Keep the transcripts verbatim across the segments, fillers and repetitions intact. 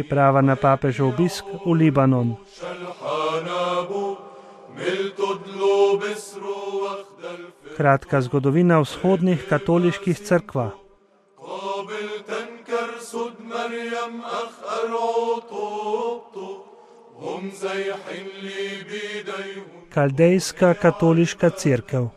Priprava na papežev obisk v Libanon. Kratka zgodovina vzhodnih katoliških cerkva. Kaldejska katoliška cerkev.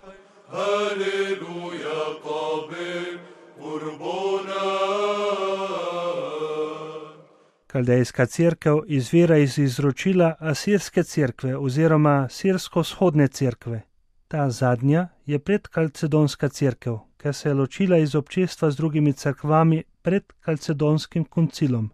Kaldejska cerkev izvira iz izročila asirske cerkve oziroma sirsko-vzhodne cerkve. Ta zadnja je predkalcedonska cerkev, ker se je ločila iz občestva z drugimi cerkvami pred kalcedonskim koncilom.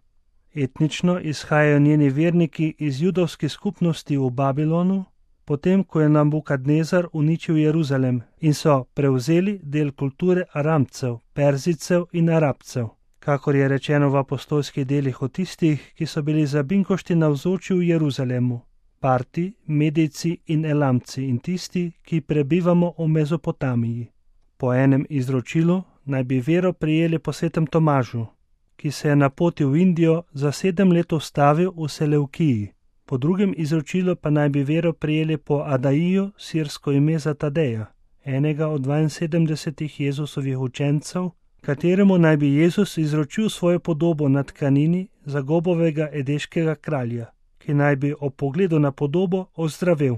Etnično izhajajo njeni verniki iz judovskih skupnosti v Babilonu, potem ko je Nabukadnezar uničil Jeruzalem in so prevzeli del kulture Aramcev, Perzijcev in Arabcev, kakor je rečeno v apostolskih delih o tistih, ki so bili za binkošti navzoči v Jeruzalemu, Parti, Medijci in Elamci in tisti, ki prebivamo v Mezopotamiji. Po enem izročilu naj bi vero prijeli po svetem Tomažu, ki se je na poti v Indijo za sedem let ustavil v Seleukiji. Po drugem izročilu pa naj bi vero prijeli po Adaiju, sirsko ime za Tadeja, enega od dvainsedemdesetih Jezusovih učencev, kateremu naj bi Jezus izročil svojo podobo na tkanini Zagobovega edeškega kralja, ki naj bi ob pogledu na podobo ozdravel.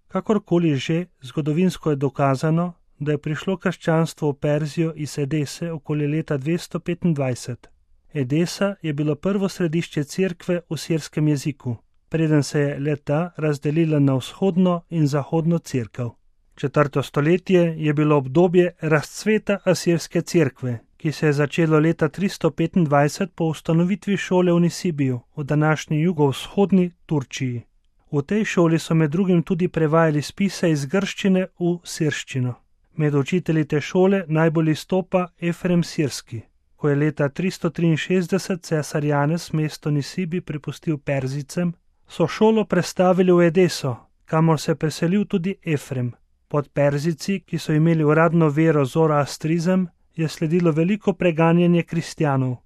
Kakorkoli že, zgodovinsko je dokazano, da je prišlo krščanstvo v Perzijo iz Edese okoli leta dvesto petindvajset. Edesa je bilo prvo središče cerkve v sirskem jeziku, preden se je le-ta razdelila na vzhodno in zahodno cerkev. Četrto stoletje je bilo obdobje razcveta asirske cerkve, ki se je začelo leta tristo petindvajset po ustanovitvi šole v Nisibiju, v današnji jugovzhodni Turčiji. V tej šoli so med drugim tudi prevajali spise iz grščine v sirščino. Med učitelji te šole najbolj izstopa Efrem Sirski. Ko je leta tristo triinšestdeset cesar Janez mesto Nisibi prepustil Perzijcem, so šolo prestavili v Edeso, kamor se je preselil tudi Efrem. Pod Perzijci, ki so imeli uradno vero zoroastrizem, je sledilo veliko preganjanje kristjanov.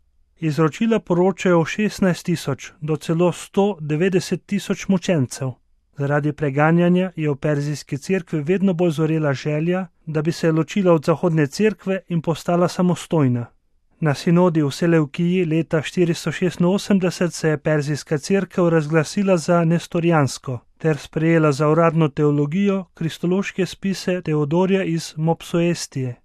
Izročila poročajo o šestnajst tisoč do celo sto devetdeset tisoč mučencev. Zaradi preganjanja je v perzijski cerkvi vedno bolj zorela želja, da bi se ločila od zahodne cerkve in postala samostojna. Na sinodi v Seleukiji leta štiristo šestinosemdeset se je perzijska cerkev razglasila za nestorijansko ter sprejela za uradno teologijo kristološke spise Teodorija iz Mopsuestije,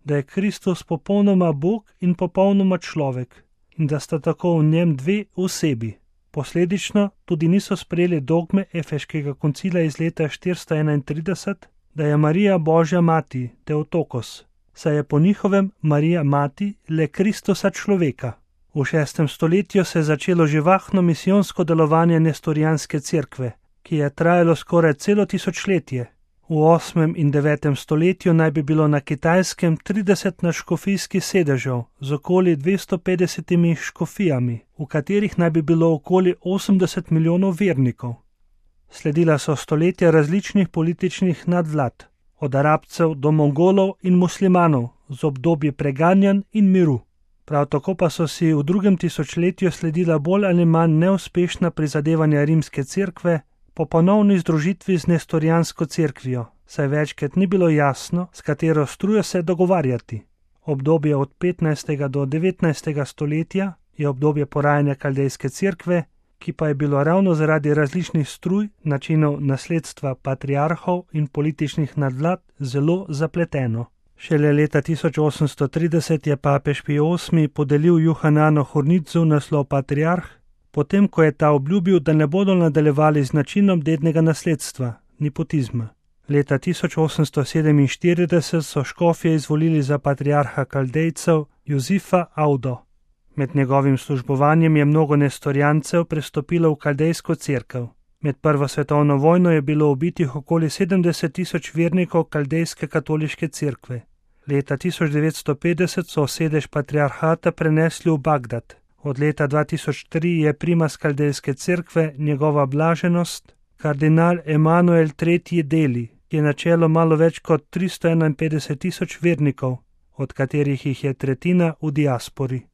da je Kristus popolnoma Bog in popolnoma človek in da sta tako v njem dve osebi. Posledično tudi niso sprejeli dogme Efeškega koncila iz leta štiristo enaintrideset, da je Marija Božja mati, Teotokos, saj je po njihovem Marija mati le Kristusa človeka. V šestem stoletju se je začelo živahno misijonsko delovanje nestorijanske cerkve, ki je trajalo skoraj celo tisočletje. V osmem in devetem stoletju naj bi bilo na Kitajskem trideset nadškofijskih sedežev z okoli dvesto petdesetimi škofijami, v katerih naj bi bilo okoli osemdeset milijonov vernikov. Sledila so stoletja različnih političnih nadvlad, od Arabcev do Mongolov in muslimanov, z obdobji preganjanj in miru. Prav tako pa so si v drugem tisočletju sledila bolj ali manj neuspešna prizadevanja rimske cerkve po ponovni združitvi z nestorijansko cerkvijo, saj večkrat ni bilo jasno, s katero strujo se dogovarjati. Obdobje od petnajstega do devetnajstega stoletja je obdobje porajanja kaldejske cerkve, ki pa je bilo ravno zaradi različnih struj, načinov nasledstva patriarhov in političnih nadvlad zelo zapleteno. Šele leta tisoč osemsto trideset je papež Pij osmi podelil Juhananu Hornitzu naslov patriarh, potem ko je ta obljubil, da ne bodo nadaljevali z načinom dednega nasledstva, nepotizma. Leta tisoč osemsto sedeminštirideset so škofje izvolili za patriarha Kaldejcev Jozifa Audo. Med njegovim službovanjem je mnogo nestorijancev prestopilo v kaldejsko cerkev. Med prvo svetovno vojno je bilo ubitih okoli sedemdeset tisoč vernikov kaldejske katoliške cerkve. Leta tisoč devetsto petdeset so sedež patriarhata prenesli v Bagdad. Od leta dva tisoč tri je primas kaldejske cerkve njegova blaženost, kardinal Emanuel tretji Deli, ki je načelo malo več kot tristo enainpetdeset tisoč vernikov, od katerih jih je tretjina v diaspori.